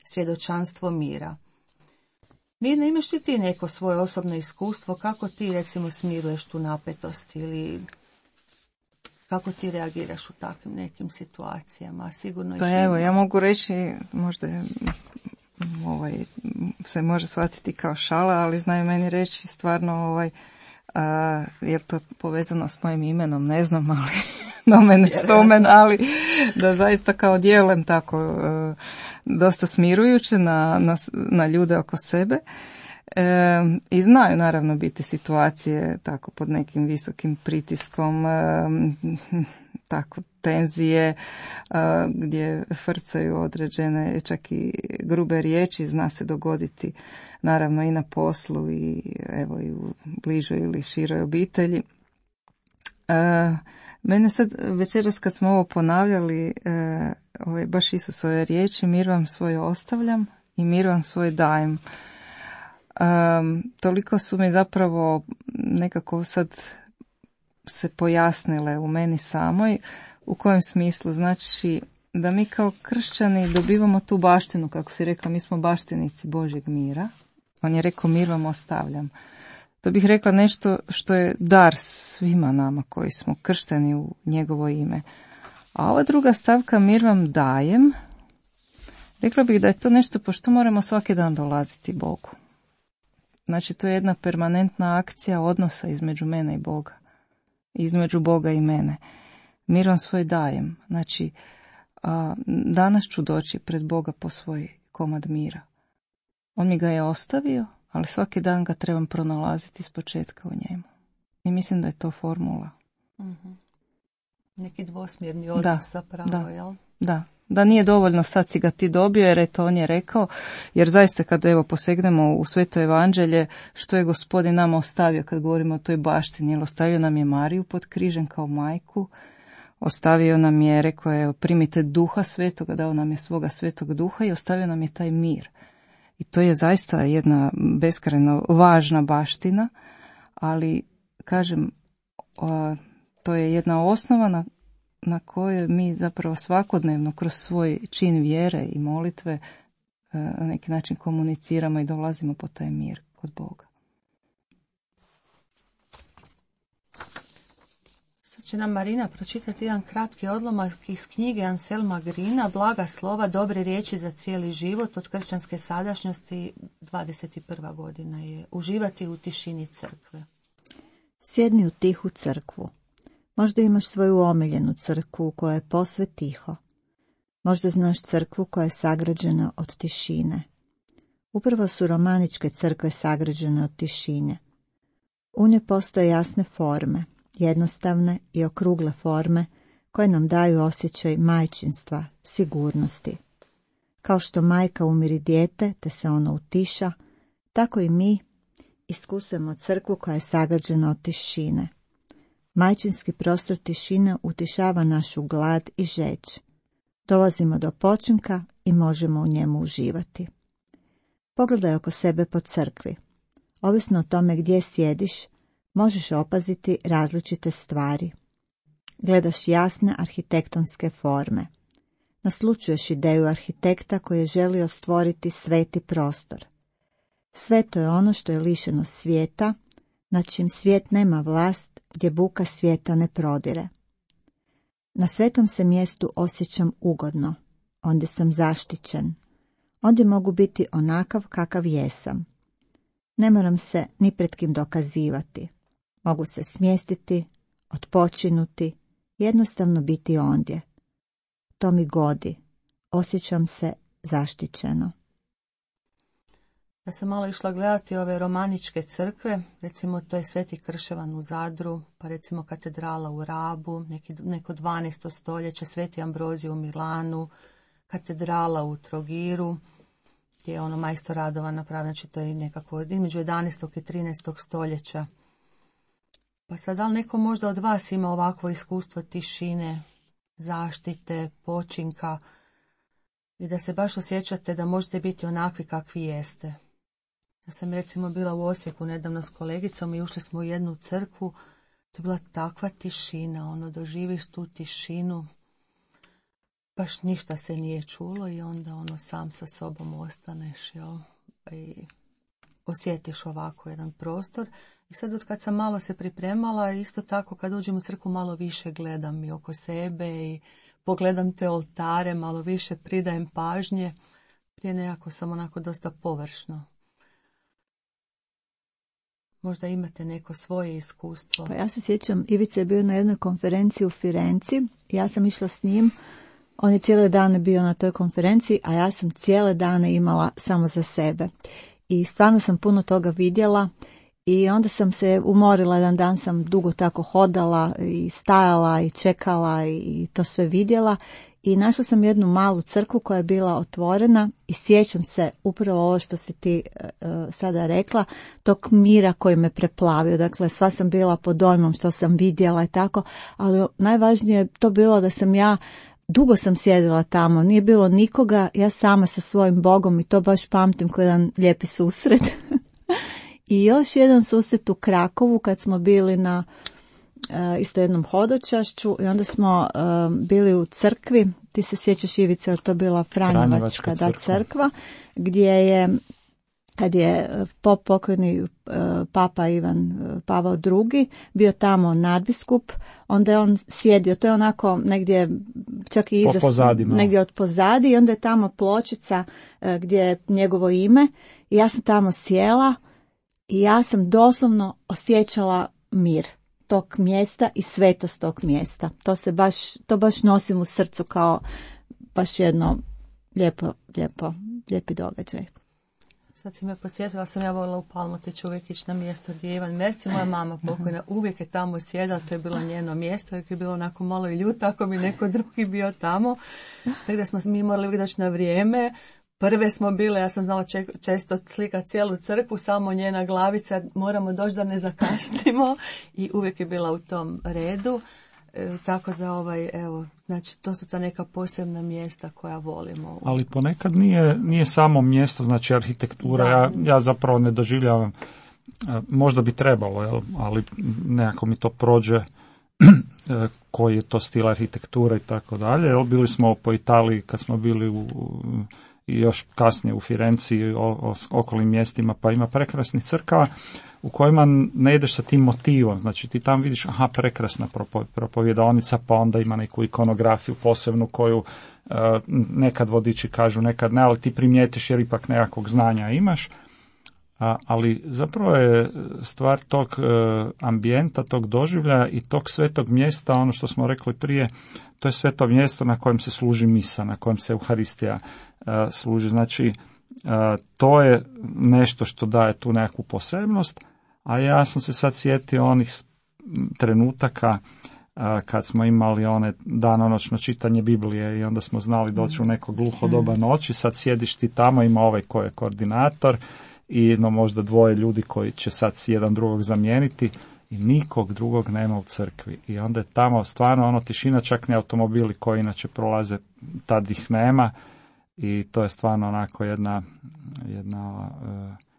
Svjedočanstvo mira. Mirna, imaš li ti neko svoje osobno iskustvo, kako ti recimo smiruješ tu napetost ili kako ti reagiraš u takvim nekim situacijama? Sigurno Pa evo, ja mogu reći, možda se može shvatiti kao šala, ali znaju meni reći stvarno je to povezano s mojim imenom, ne znam, ali nomen spomen, ali da zaista kao djelujem tako dosta smirujuće na ljude oko sebe. I znaju naravno biti situacije tako pod nekim visokim pritiskom, tako tenzije, gdje frcaju određene čak i grube riječi, zna se dogoditi naravno i na poslu i evo i u bližoj ili široj obitelji. Mene sad večeras kad smo ovo ponavljali, baš Isusove riječi, mir vam svoj ostavljam i mir vam svoj dajem. Toliko su mi zapravo nekako sad se pojasnile u meni samoj. U kojem smislu? Znači da mi kao kršćani dobivamo tu baštinu, kako si rekla, mi smo baštinici Božjeg mira. On je rekao mir vam ostavljam. To bih rekla nešto što je dar svima nama koji smo kršteni u njegovo ime. A ova druga stavka mir vam dajem, rekla bih da je to nešto pošto moramo svaki dan dolaziti Bogu. Znači to je jedna permanentna akcija odnosa između mene i Boga. Između Boga i mene. Mir vam svoj dajem. Znači danas ću doći pred Boga po svoj komad mira. On mi ga je ostavio, ali svaki dan ga trebam pronalaziti iz početka u njemu. I mislim da je to formula. Mm-hmm. Neki dvosmjerni odnos zapravo, jel? Da nije dovoljno sad si ga ti dobio jer eto on je rekao, jer zaista kad evo posegnemo u Sveto evanđelje, što je Gospodin nama ostavio kad govorimo o toj baštini, jer ostavio nam je Mariju pod križem kao majku, ostavio nam je, rekao je primite Duha Svetoga, dao nam je svoga Svetog Duha i ostavio nam je taj mir. I to je zaista jedna beskrajno važna baština, ali kažem, to je jedna osnova na kojoj mi zapravo svakodnevno kroz svoj čin vjere i molitve na neki način komuniciramo i dolazimo po taj mir kod Boga. Sad će nam Marina pročitati jedan kratki odlomak iz knjige Anselma Grina, Blaga slova, dobre riječi za cijeli život, od kršćanske sadašnjosti, 21. godina je uživati u tišini crkve. Sjedni u tihu crkvu. Možda imaš svoju omiljenu crkvu koja je posve tiho. Možda znaš crkvu koja je sagrađena od tišine. Upravo su romaničke crkve sagrađene od tišine. U njoj postoje jasne forme, jednostavne i okrugle forme koje nam daju osjećaj majčinstva, sigurnosti. Kao što majka umiri dijete te se ono utiša, tako i mi iskusujemo crkvu koja je sagrađena od tišine. Majčinski prostor tišine utišava našu glad i žeđ. Dolazimo do počinka i možemo u njemu uživati. Pogledaj oko sebe po crkvi. Ovisno o tome gdje sjediš, možeš opaziti različite stvari. Gledaš jasne arhitektonske forme. Naslućuješ ideju arhitekta koji je želio stvoriti sveti prostor. Sveto je ono što je lišeno svijeta, nad čim svijet nema vlast, gdje buka svijeta ne prodire. Na svetom se mjestu osjećam ugodno, ondje sam zaštićen, ondje mogu biti onakav kakav jesam. Ne moram se ni pred kim dokazivati, mogu se smjestiti, odpočinuti, jednostavno biti ondje. To mi godi, osjećam se zaštićeno. Ja sam malo išla gledati ove romaničke crkve, recimo to je Sveti Krševan u Zadru, pa recimo katedrala u Rabu, neko 12. stoljeće, Sveti Ambrozij u Milanu, katedrala u Trogiru, gdje je ono majstor Radovan napravljen, znači to je nekako između 11. i 13. stoljeća. Pa sad, da li neko možda od vas ima ovakvo iskustvo tišine, zaštite, počinka i da se baš osjećate da možete biti onakvi kakvi jeste? Ja sam recimo bila u Osijeku nedavno s kolegicom i ušli smo u jednu crkvu. To je bila takva tišina, doživiš tu tišinu. Baš ništa se nije čulo i onda sam sa sobom ostaneš, jel? I osjetiš ovako jedan prostor. I sad od kad sam malo se pripremala, isto tako kad uđem u crkvu malo više gledam i oko sebe i pogledam te oltare, malo više pridajem pažnje. Prije nekako sam onako dosta površno. Možda imate neko svoje iskustvo. Pa ja se sjećam, Ivica je bio na jednoj konferenciji u Firenci. Ja sam išla s njim. On je cijele dane bio na toj konferenciji, a ja sam cijele dane imala samo za sebe. I stvarno sam puno toga vidjela i onda sam se umorila, jedan dan sam dugo tako hodala i stajala i čekala i to sve vidjela. I našla sam jednu malu crkvu koja je bila otvorena i sjećam se upravo ovo što si ti sada rekla, tog mira koji me preplavio. Dakle, sva sam bila pod dojmom što sam vidjela i tako, ali najvažnije je to bilo da sam ja dugo sam sjedila tamo, nije bilo nikoga, ja sama sa svojim Bogom i to baš pamtim kao jedan lijepi susret. I još jedan susret u Krakovu kad smo bili na isto jednom hodočašću i onda smo bili u crkvi, ti se sjećaš Ivice, to bila Franjevačka crkva, gdje je, kad je pokojni papa Ivan Pavao II bio tamo nadbiskup, onda je on sjedio, to je onako negdje čak i negdje od pozadi i onda je tamo pločica gdje je njegovo ime i ja sam tamo sjela i ja sam doslovno osjećala mir tog mjesta i svetost tog mjesta. To baš nosim u srcu kao baš jedno lijepi događaj. Sad si me podsjetila, sam ja volila u Palmotiću uvijek ići na mjesto gdje je Ivan Merci, moja mama pokojna, uvijek je tamo sjedala, to je bilo njeno mjesto, uvijek je bilo onako malo i ljuto ako bi neko drugi bio tamo. Tako da smo mi morali uvijek doći na vrijeme. Prve smo bile, ja sam znala često slikati cijelu crkvu, samo njena glavica, moramo doći da ne zakasnimo i uvijek je bila u tom redu. Tako da znači to su ta neka posebna mjesta koja volimo. Ali ponekad nije samo mjesto, znači arhitektura, ja zapravo ne doživljavam, možda bi trebalo, ali nekako mi to prođe koji je to stil arhitekture i tako dalje. Bili smo po Italiji kad smo bili i još kasnije u Firenci i okolnim mjestima, pa ima prekrasnih crkava u kojima ne ideš sa tim motivom, znači ti tam vidiš, prekrasna propovjedaonica, pa onda ima neku ikonografiju posebnu koju nekad vodiči kažu, nekad ne, ali ti primijetiš jer ipak nekakvog znanja imaš, ali zapravo je stvar tog ambijenta, tog doživljaja i tog svetog mjesta, ono što smo rekli prije, to je sveto mjesto na kojem se služi misa, na kojem se Euharistija služi, znači to je nešto što daje tu nekakvu posebnost, a ja sam se sad sjetio onih trenutaka kad smo imali one danonoćno čitanje Biblije i onda smo znali doći u neko gluho doba noći, sad sjediš ti tamo, ima ovaj koji je koordinator i možda dvoje ljudi koji će sad jedan drugog zamijeniti i nikog drugog nema u crkvi. I onda je tamo stvarno tišina, čak ni automobili koji inače prolaze, tad ih nema. I to je stvarno onako jedna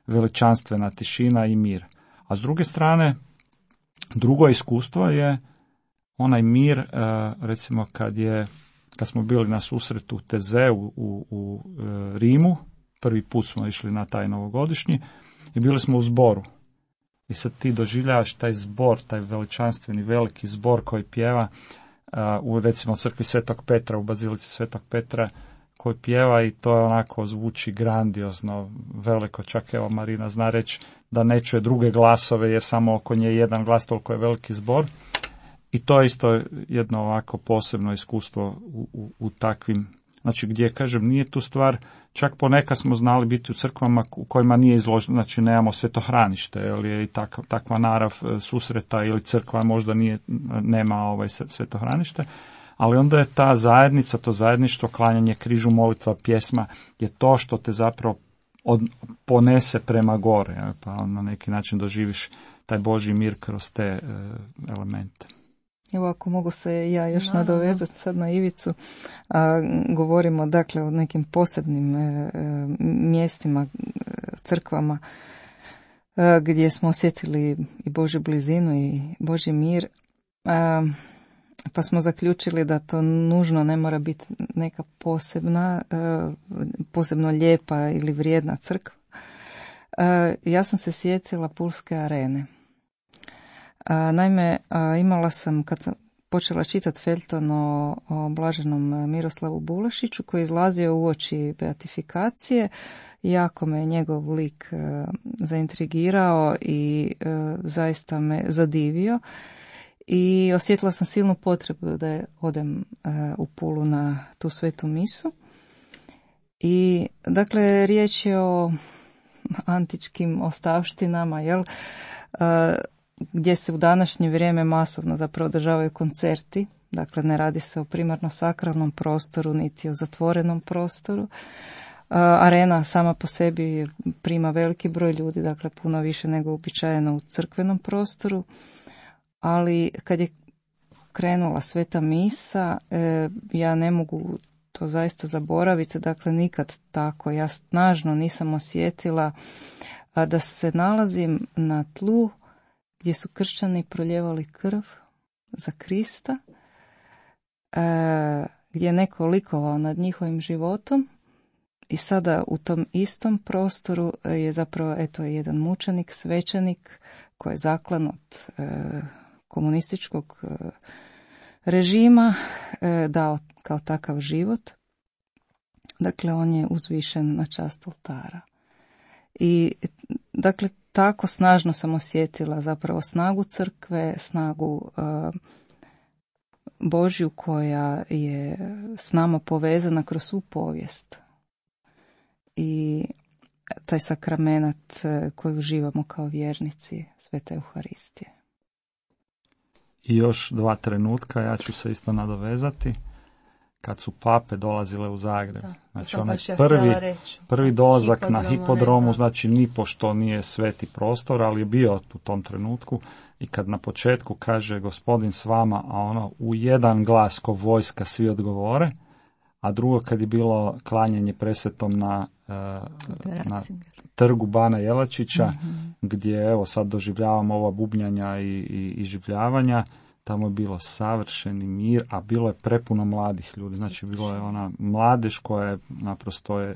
veličanstvena tišina i mir. A s druge strane, drugo iskustvo je onaj mir, recimo kad smo bili na susretu u Tezeu u Rimu, prvi put smo išli na taj novogodišnji i bili smo u zboru. I sad ti doživljavaš taj zbor, taj veličanstveni veliki zbor koji pjeva u recimo crkvi Svetog Petra, u bazilici Svetog Petra, koji pjeva i to je onako zvuči grandiozno, veliko, čak evo Marina zna reći da ne čuje druge glasove jer samo oko nje jedan glas, toliko je veliki zbor. I to je isto jedno ovako posebno iskustvo u takvim, znači gdje kažem nije tu stvar, čak ponekad smo znali biti u crkvama u kojima nije izloženo, znači nemamo svetohranište, jer je i takva narav susreta ili crkva možda nema svetohranište. Ali onda je ta zajednica, to zajedništvo, klanjanje križu, molitva, pjesma, je to što te zapravo ponese prema gore, pa na neki način doživiš taj Božji mir kroz te elemente. Evo ako mogu se ja još nadovezati sad na Ivicu, govorimo dakle o nekim posebnim mjestima, crkvama. gdje smo osjetili i Božju blizinu i Božji mir, pa smo zaključili da to nužno ne mora biti neka posebno lijepa ili vrijedna crkva. Ja sam se sjetila Pulske arene. Naime, imala sam, kad sam počela čitati feljton o blaženom Miroslavu Bulašiću, koji je izlazio uoči beatifikacije, jako me njegov lik zaintrigirao i zaista me zadivio. I osjetila sam silnu potrebu da odem u Pulu na tu svetu misu. I dakle, riječ je o antičkim ostavštinama, gdje se u današnje vrijeme masovno zapravo održavaju koncerti. Dakle, ne radi se o primarno sakralnom prostoru, niti o zatvorenom prostoru. Arena sama po sebi prima veliki broj ljudi, dakle puno više nego uobičajeno u crkvenom prostoru. Ali kad je krenula sveta misa, ja ne mogu to zaista zaboraviti, dakle nikad tako. Ja snažno nisam osjetila da se nalazim na tlu gdje su kršćani proljevali krv za Krista, gdje je neko likovao nad njihovim životom i sada u tom istom prostoru je zapravo jedan mučenik, svećenik koji je zaklan od komunističkog režima dao kao takav život. Dakle, on je uzvišen na čast oltara. I dakle, tako snažno sam osjetila zapravo snagu crkve, snagu Božju koja je s nama povezana kroz svu povijest. I taj sakramenat koji uživamo kao vjernici, Sveta Euharistije. I još 2 trenutka, ja ću se isto nadovezati, kad su pape dolazile u Zagreb. Znači onaj prvi dolazak na hipodromu, znači nipošto nije sveti prostor, ali je bio u tom trenutku. I kad na početku kaže Gospodin s vama, a ono u jedan glas ko vojska svi odgovore, a drugo kad je bilo klanjanje presvetom na trgu Bana Jelačića, gdje evo sad doživljavamo ova bubnjanja i življavanja, tamo je bilo savršeni mir, a bilo je prepuno mladih ljudi. Znači bilo je ona mladež koja je naprosto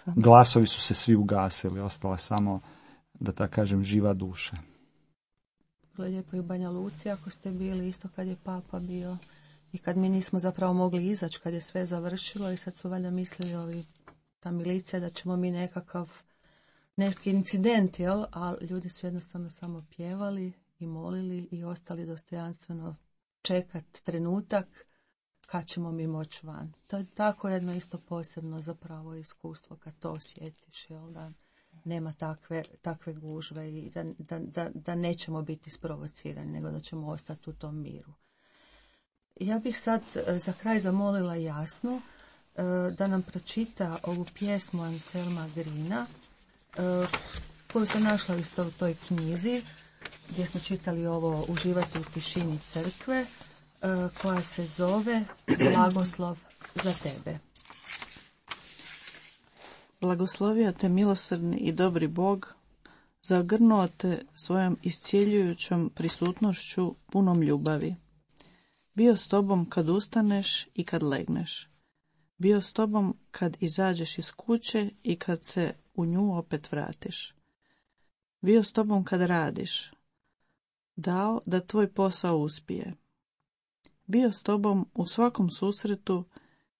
glasovi su se svi ugasili, ostala je samo, da tako kažem, živa duša. Bilo je lijepo i u Banja Luci ako ste bili, isto kad je papa bio i kad mi nismo zapravo mogli izaći, kad je sve završilo i sad su valjda mislili ta milicija da ćemo mi neki incident, a ljudi su jednostavno samo pjevali i molili i ostali dostojanstveno čekati trenutak kad ćemo mi moći van. To je tako jedno isto posebno zapravo iskustvo kad to osjetiš, da nema takve gužve i da nećemo biti sprovocirani, nego da ćemo ostati u tom miru. Ja bih sad za kraj zamolila Jasnu da nam pročita ovu pjesmu Anselma Grina, koju sam našla isto u toj knjizi, gdje smo čitali ovo Uživati u tišini crkve, koja se zove Blagoslov za tebe. Blagoslovio te milosrdni i dobri Bog, zagrnuo te svojom iscjeljujućom prisutnošću punom ljubavi. Bio s tobom kad ustaneš i kad legneš. Bio s tobom kad izađeš iz kuće i kad se u nju opet vratiš. Bio s tobom kad radiš. Dao da tvoj posao uspije. Bio s tobom u svakom susretu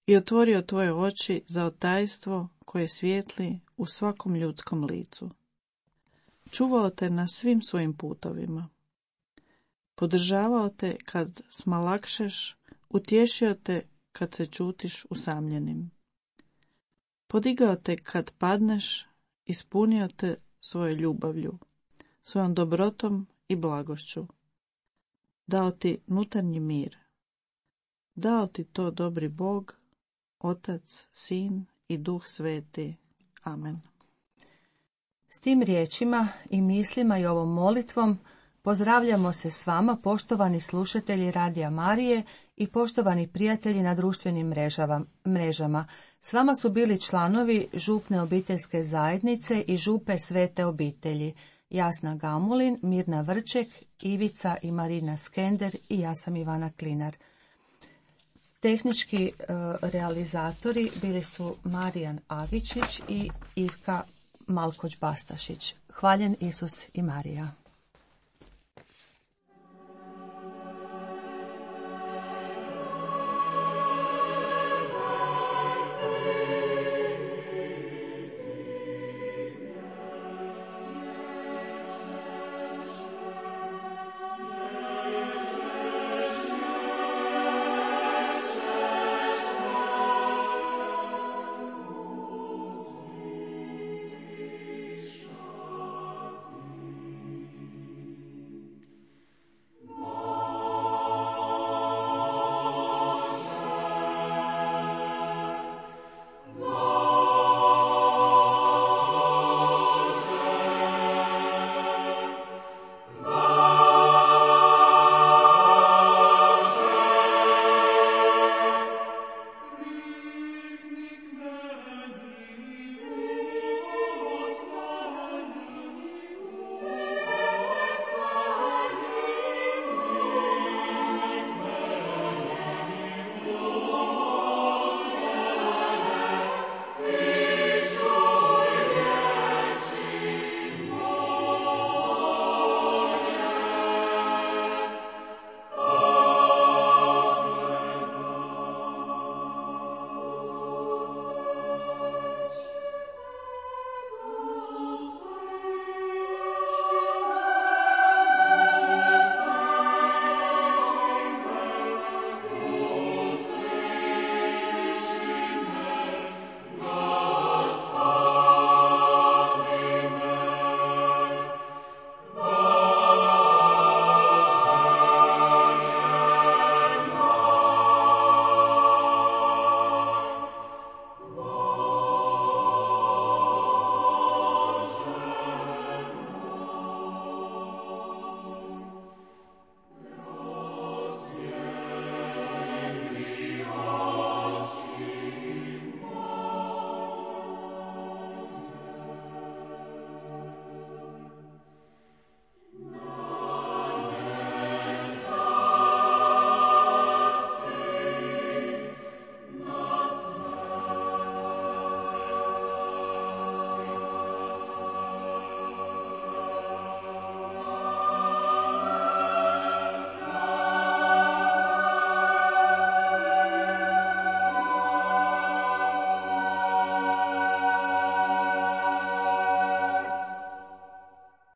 i otvorio tvoje oči za otajstvo koje svijetli u svakom ljudskom licu. Čuvao te na svim svojim putovima. Podržavao te kad smalakšeš, utješio te kad se čutiš usamljenim. Podigao te kad padneš, ispunio te svoje ljubavlju, svojom dobrotom i blagošću. Dao ti nutarnji mir. Dao ti to dobri Bog, Otac, Sin i Duh Sveti. Amen. S tim riječima i mislima i ovom molitvom pozdravljamo se s vama, poštovani slušatelji Radija Marije, i poštovani prijatelji na društvenim mrežama. S vama su bili članovi župne obiteljske zajednice i župe Svete obitelji. Jasna Gamulin, Mirna Vrček, Ivica i Marina Skender i ja sam Ivana Klinar. Tehnički realizatori bili su Marijan Agičić i Ivka Malkoć-Bastašić. Hvaljen Isus i Marija.